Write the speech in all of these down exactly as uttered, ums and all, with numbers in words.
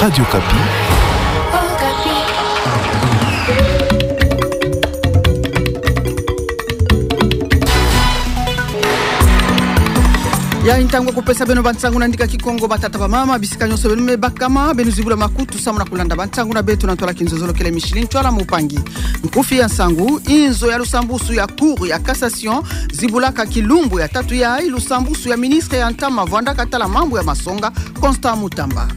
Radio Okapi. Ya ntangu ya kupesa beno bansangu na ndika Kikongo, batata, bamama, bisika nyonso beno me bakama, beno zibula makutu samu na kulanda bansangu na beto na ntwala kinzonzolo kele Micheline Ntwala Mupangi. Nkufi ya nsangu: inzo ya lusambusu ya Cour ya cassation zibulaka kilumbu ya tatu yayi lusambusu ya ministre ya ntama vwandaka tala mambu ya masonga, Constant Mutamba.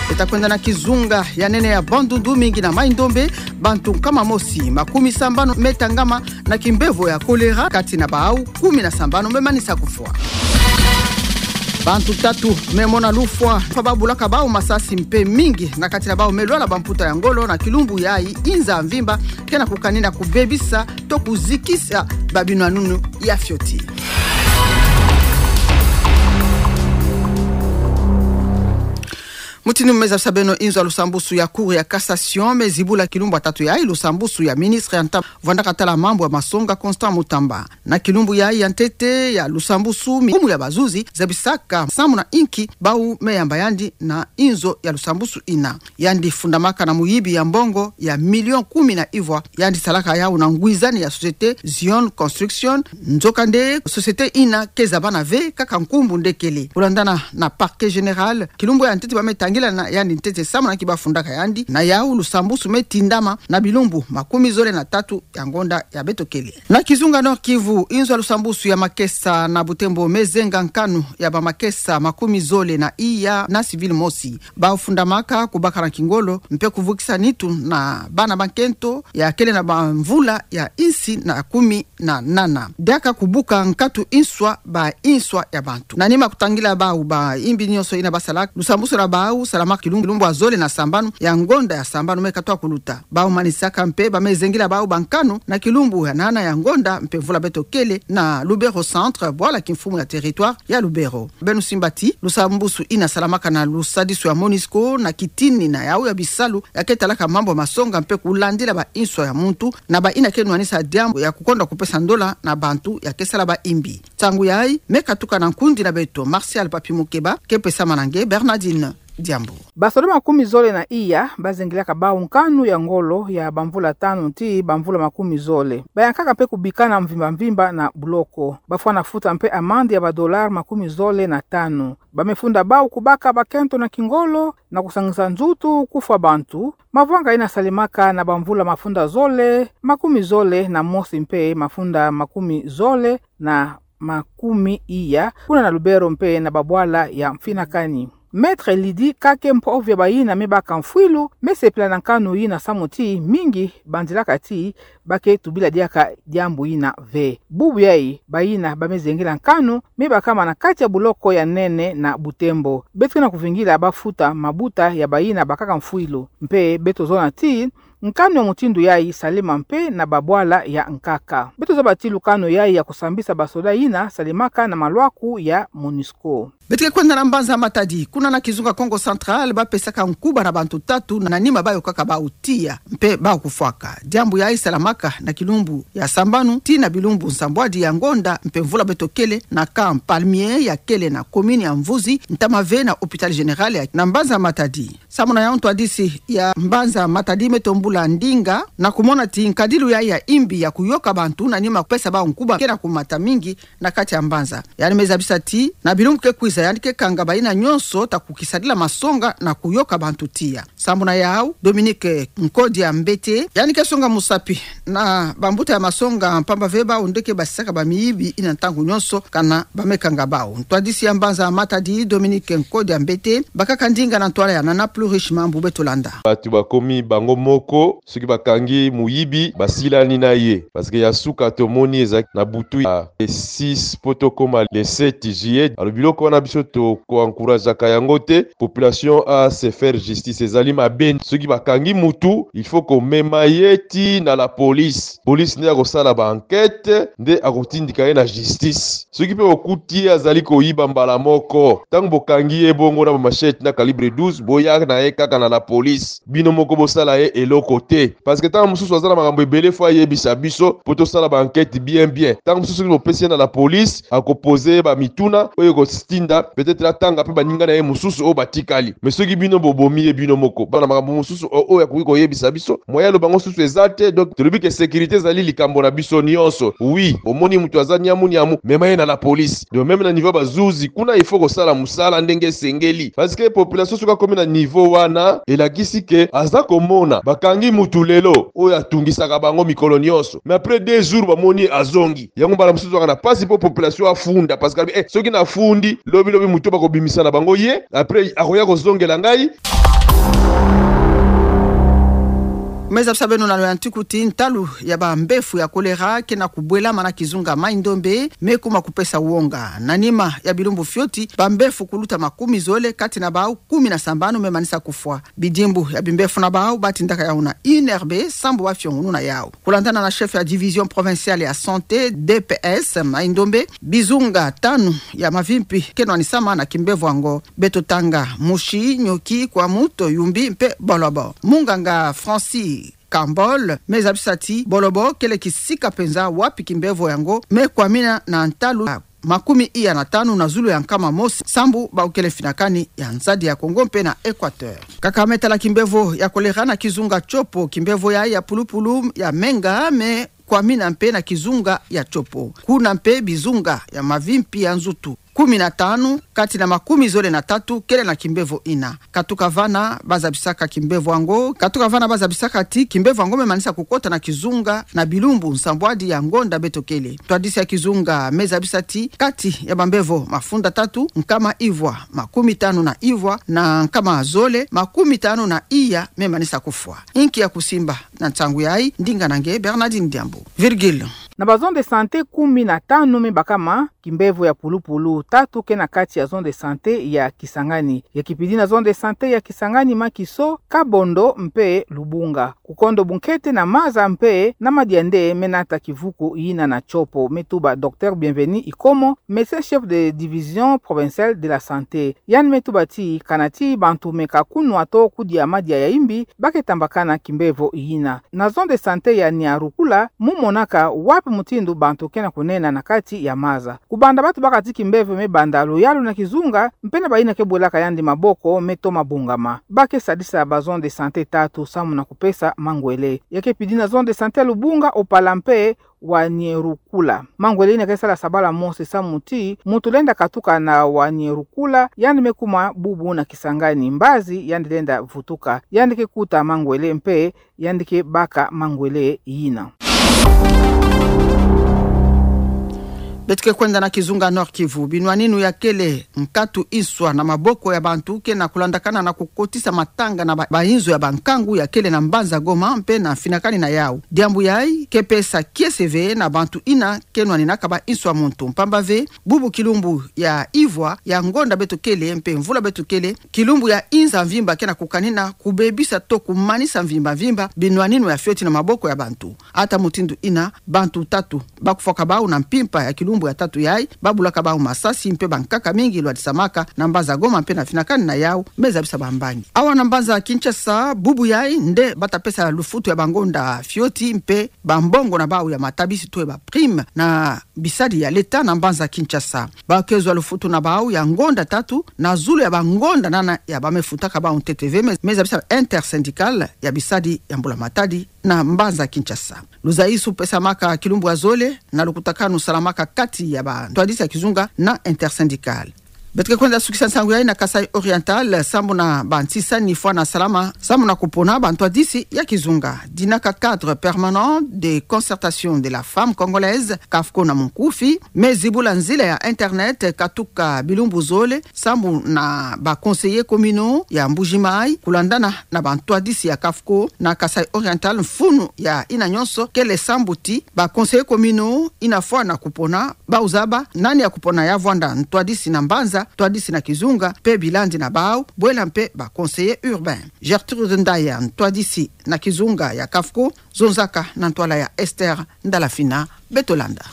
Beta kwenda na kizunga ya nene ya Bandundu, mingi na Mai-Ndombe, bantu nkama mosi makumi sambanu me tangama na kimbevo ya choléra, kati na bawu kumi na sambanu me manisa kufwa. Bantu tatu me mona lufwa, mpe babulaka bawu masasi, mpe mingi na kati na bawu me lwala bamputa ya ngolo na kilumbu yayi. Inza mvimba ke na kukanina kubebisa to kuzikisa babinwanunu ya fioti. Mutindu me zabisa beno, inzo ya lusambusu ya Cour ya cassation me zibula kilumbu ya tatu yayi lusambusu ya ministre ya ntama vwandaka tala mambu ya masonga, Constant Mutamba. Na kilumbu yayi ya ntete ya lusambusu, mikumu ya bazuzi zabisaka samu na inki bawu me yamba yandi na inzo ya lusambusu ina. Yandi fundamaka na muyibi ya mbongo ya million kumi na ivwa, yandi salaka yawu na ngwizani ya société Zion Construction. Nzokande société ina ke zabana ve, kaka nkumbu nde kele. Kulandana na Parquet général, kilumbu ya ntete ba me tangila na yandi ntete samu na inki ba fundaka yandi. Na yawu lusambusu me tindama na bilumbu makumi zole na tatu ya ngonda ya beto kele. Na kizunga Nord-Kivu, inzo ya lusambusu ya makesa na Butembo me zenga nkanu ya bamakesa makumi zole na iya na civil mosi. Ba fundamaka kubaka na kingolo mpe kuvukisa nitu na bana bankento ya kele na bamvula ya insi na kumi na nana. Diaka kubuka nkatu inswa ba inswa ya bantu. Na nima kutangila bawu baimbi nyonso ina ba salaka, lusambusu la bawu salamaka kilumbu ya zole na sambanu ya ngonda ya sambanu me katuka kuluta. Bawu manisaka mpe ba me zengila bawu bankanu na kilumbu ya nana ya ngonda mpe mvula beto kele na Lubero Centre, bwala kimfumu ya territoire ya Lubero. Beno simba ti lusambusu ina salamaka na lusadisu ya MONUSCO na kitinina yawu ya bisalu ya ke talaka mambu ya masonga mpe kulandila ba inswa ya muntu na ba ina ke nwanisa diambu ya kukonda kupesa ndola na bantu ya ke sala baimbi. Nsangu yayi me katuka na nkundi na beto Martial Papi Mukeba, ke pesama na nge Bernardine Diambu. Basoda makumi zole na iya ba zengilaka bawu nkanu ya ngolo ya bamvula tanu tii bamvula makumi zole. Ba yankaka mpe kubikana mvimba mvimba na buloko. Ba fwana futa mpe amande ya ba dollars makumi zole na tanu. Ba me funda bawu kubaka bankento na kingolo, na kusangisa nzutu, kufwa bantu. Mavwanga ina salemaka na bamvula mafunda zole, makumi zole na mosi mpe mafunda makumi zole na makumi iya, kuna na Lubero mpe na babwala ya mfinakani. Maître Lydie Kake, mpovia bayina me baka mfwilu, me sepela na nkanu yina samu ti mingi banzilaka ti ba ke tubila diaka diambu yina ve. Bubu yayi, bayina ba me zengila nkanu me bakama na kati ya buloko ya nene na Butembo. Beto ke na kuvingila ba futa mabuta ya bayina bakaka mfwilu. Mpe beto zona ti nkanu ya mutindu yayi salema mpe na babwala ya nkaka. Beto zaba ti lukanu yayi ya kusambisa basoda yina salemaka na malwaku ya MONUSCO. Beto ke kwenda na mbanza Matadi, kuna na kizunga Kongo Central, ba pesaka nkuba na bantu tatu na nima ba yokaka bawu tiya mpe bawu kufwaka. Diambu yayi salamaka na kilumbu ya sambanu tii na bilumbu nsambwadi ya ngonda mpe mvula beto kele na Camp Palmier ya kele na commune ya Mvuzi, ntama ve na hôpital général ya, na mbanza Matadi. Samu na yawu, ntwadisi ya mbanza Matadi me tombula ndinga na kumona ti nkadilu yayi ya imbi ya kuyoka bantu na nima kupesa bawu nkuba ke na kumata mingi na kati ya mbanza. Yandi me zabisa ti na bilumbu ke kwiza yandi ke kanga bayina nyonso ta kukisadila masonga na kuyoka bantu tiya. Samu na yawu, Dominique Nkodia Mbete, yandi ke songa musapi na bambuta ya masonga, mpamba ve bawu nde ke basisaka bamiyibi yina ntangu nyonso, kana ba me kanga bawu. Ntwadisi ya mbanza Matadi, Dominique Nkodia Mbete, bakaka ndinga na ntwala ya Nana Plurish Mambu, beto landa. Bantu bakomi bango moko, soki bakangi moyibi, basilani na ye. Parce que ya suka tomoni ezalaki na butu ya le six po tokoma le sept juillet. Alors biloko wana biso toko encourageaka yango te. Population a se faire justice. Ezali mabe. Soki bakangi mutu, il faut komema ye tii na la police. Police nde akosala ba enquête, nde akotindika ye na justice. Soki mpe bokuti ye azali koyiba mbala moko, ntango bokangi ye bongo na ba machette na calibre douze, boya na ye kaka na la police. Bino moko bosala ye eloko te. Parce que ntango mosusu aza na makambo ebele faut ayebisa biso, po tosala ba enquête bien bien. Ntango mosusu soki bopesi ye na la police, ako poser ba mituna, oyo ekotinda, peut-être atanga pe baninga na ye mosusu oyo batikali. Mais soki bino bobomi ye bino moko, bana makambo mosusu o-, oyo akoki koyebisa biso, moyen ya loba ngo susu eza te, donc tolobi ke sécurité ezali likambo na biso nyonso. Oui, omoni moto aza nyamu nyamu, mema ye na la police. Donc même na niveau ya bazuzi, kuna il faut kosala mosala ndenge esengeli. Parce que population soki akomi na niveau wana, elakisi ke aza komona, bakangi moto lelo, oyo atungisaka bango mikolo nyonso. Mais après deux jours, bamoni azongi. Yango mbala mosusu azalaka na mpasi po population afunda, parce que, eh, soki nafundi, lobi lobi moto bakobimisa na bango ye, après akoya kozongela ngai. Me zabisa beno na lo ya ntiku ti ntalu ya bambefu ya choléra ke na kubwelama na kizunga Mai-Ndombe, me kuma kupesa wonga. Na nima ya bilumbu fioti, bambefu kuluta makumi zole, kati na bau kumi na sambanu me manisa kufwa. Bidimbu ya bimbefu na bau batindaka yau na I N R B, sambu bafiongununa yau. Kulandana na chef ya division provinciale ya santé, D P S, Mai-Ndombe, bizunga tanu ya mavimpi ke nwanisama na kimbevo yango. Beto tanga: mushi, nyoki, kwamu, toyumbi mpe bolobo. Munganga Francis Kambol me zabisa ti bolobo kele kisika mpenza wapi kimbevo yango me kwamina na ntalu makumi iya na tanu na zulu ya nkama mosi, sambu bau kele finakani ya nzadi ya Kongo mpe na Equateur. Kaka me tala kimbevo ya choléra na kizunga Tshopo, kimbevo ya, ya pulupulu ya menga me kwamina mpe na kizunga ya Tshopo. Kuna mpe bizunga ya mavimpi ya nzutu kumi na tanu kati na makumi zole na tatu kele na kimbevo ina. Katuka vana bazabisaka kimbevo yango, katuka vana bazabisaka ti kimbevo yango me manisa kukota na kizunga na bilumbu nsambwadi ya ngonda beto kele. Ntwadisi ya kizunga me zabisa ti kati ya bambevo mafunda tatu, nkama ivwa makumi tanu na ivwa na nkama zole makumi tanu na iya me manisa kufwa. Inki ya kusimba na nsangu yai? Ndinga na nge Bernardine Diambu. Virgule. Na ba zone de santé kumi na tanu me bakama kimbevo ya pulupulu, tatu ke na kati ya zone de santé ya Kisangani. Ya kipidi na zone de santé ya Kisangani, Makiso, Kabondo mpe Lubunga. Kukondo bunkete na maza mpe na madia nde me nata kivuku yina na Tshopo, me tuba Docteur Bienvenu Ikomo, médecin chef de division provinciale de la santé. Yandi me tuba ti kana ti bantu me kakunwa to kudia madia ya imbi, ba ke tambakana kimbevo yina. Na zone de santé ya Niarukula, mu monaka wapi mutindu bantu ke na kunena na kati ya maza. Kubanda batu baka ti kimbevo me banda luyalu na kizunga, mpe na bayina ke bwelaka yandi maboko me toma bungama. Ba ke sadisa ba zone de santé tatu samu na kupesa mangwele. Ya ke pidi na zone de santé ya Lubunga, Opala mpe Waniarukula. Mangwele yina ke sala sabala mosi samu ti muntu lenda katuka na Waniarukula, yandi me kuma bubu na Kisangani, mbazi yandi lenda vutuka. Yandi ke kuta mangwele mpe yandi ke baka mangwele yina. Beto ke kwenda na kizunga Nord-Kivu. Binwaninu ya kele nkatu nswa na maboko ya bantu ke na kulandakana na kukotisa matanga na ba, ba inzo ya bankangu ya kele na mbanza Goma mpe na finakani na yau. Diambu yai ke pesa kiese ve na bantu yina ke nwaninaka ba nswa muntu, mpamba ve bubu kilumbu ya ivwa ya ngonda beto kele mpe mvula beto kele, kilumbu ya inza mvimba ke na kukanina kubebisa to kumanisa mvimba mvimba binwaninu ya fioti na maboko ya bantu. Ata mutindu yina, bantu tatu ba kufwaka bau na mpimpa ya kilumbu ya tatu yai, ba bulaka bau masasi mpe bankaka mingi lwadisamaka na mbanza Goma mpe na finakani na yau, me zabisa bambangi. Awa na mbanza Kinshasa, bubu yai nde ba ta pesa lufutu ya bangonda fioti mpe bambongo na bau ya matabisi to ba prime na bisadi ya leta na mbanza Kinshasa. Ba ke zwa lufutu na bau ya ngonda tatu na zulu ya bangonda nana ya ba me futaka bau ntete ve, me, me zabisa intersyndical ya bisadi ya mbula matadi na mbanza Kinshasa. Luzaisu pesamaka kilumbu ya zole na lukutakanu salamaka kati ya bantwadisi ya kizunga na intersyndical. Beto ke kwenda sukisa nsangu yai na Kasaï Oriental, sambu na bantisani fwana salama samu na kupona bantwadisi ya kizunga. Dinaka cadre permanent de concertation de la femme congolaise, CAFCO na munkufi, me zibula nzila ya internet katuka bilumbu zole, sambu na ba conseillers communaux ya Mbuji-Mayi, kulandana na bantwadisi ya CAFCO na Kasaï Oriental, mfunu ya yina nyonso kele sambu ti ba conseillers communaux yina fwana kupona, bau zaba nani ya kupona ya vwanda ntwadisi na mbanza, ntwadisi na kizunga, mpe bilandi na bau, bwela mpe ba conseillers urbains. Gertrude Ndaya, ntwadisi na kizunga ya CAFCO, zonzaka na ntwala ya Esther Ndalafina. Beto landa.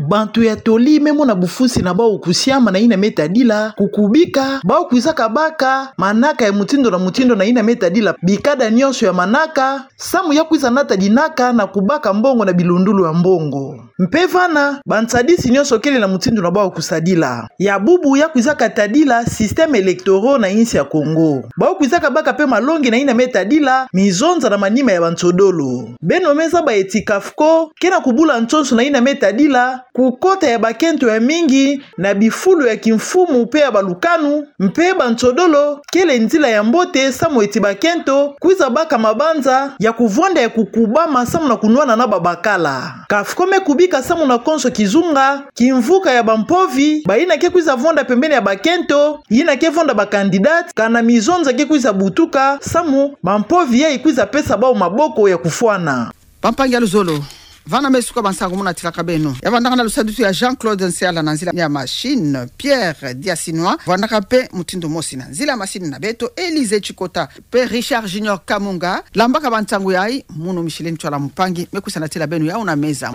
Bantu ya toli me mona bufusi na bawu kusiama na yina me tadila kukubika bawu kwizaka baka manaka ya mutindu na mutindu na yina me tadila bikada nionso ya manaka, samu ya kwiza nata dinaka na kubaka mbongo na bilundulu ya mbongo. Mpe vana, bansadisi nionso kele na mutindu na bawu kusadila. Ya bubu ya kwizaka tadila systèmes électoraux na yinsi ya Kongo. Bawu kwizaka baka mpe malongi na yina me tadila mizonza na manima ya bansodolo. Beno me zaba eti CAFCO ke na kubula nsonso na yina me tadila kukota ya bakento ya mingi na bifulu ya kimfumu mpe ya balukanu, mpe bansodolo kele nzila ya mbote samu eti bakento kwiza baka mabanza ya kuvonda ya kukubama samu na kunwana na babakala. CAFCO me kubika samu na konso kizunga kimvuka ya bampovi, bayina ke kwiza vonda pembeni ya bakento, yina ke vonda ba candidats, kana mizonza ke kwiza butuka samu bampovi yayi kwiza pesa bawu maboko ya kufwana. Bampangi ya luzolo, vana me suka bansangu mu natilaka beno. Ya vandaka na lusadisu ya Jean-Claude Nsiala, na nzila ya machine Pierre Diasinois, vandaka mpe mutindu mosi na nzila ya machine na beto Elise Chikota mpe Richard Junior Kamunga. Lambaka bansangu yayi, munu Micheline Ntsoila Mpangi me kwisa natila beno yawu na meza.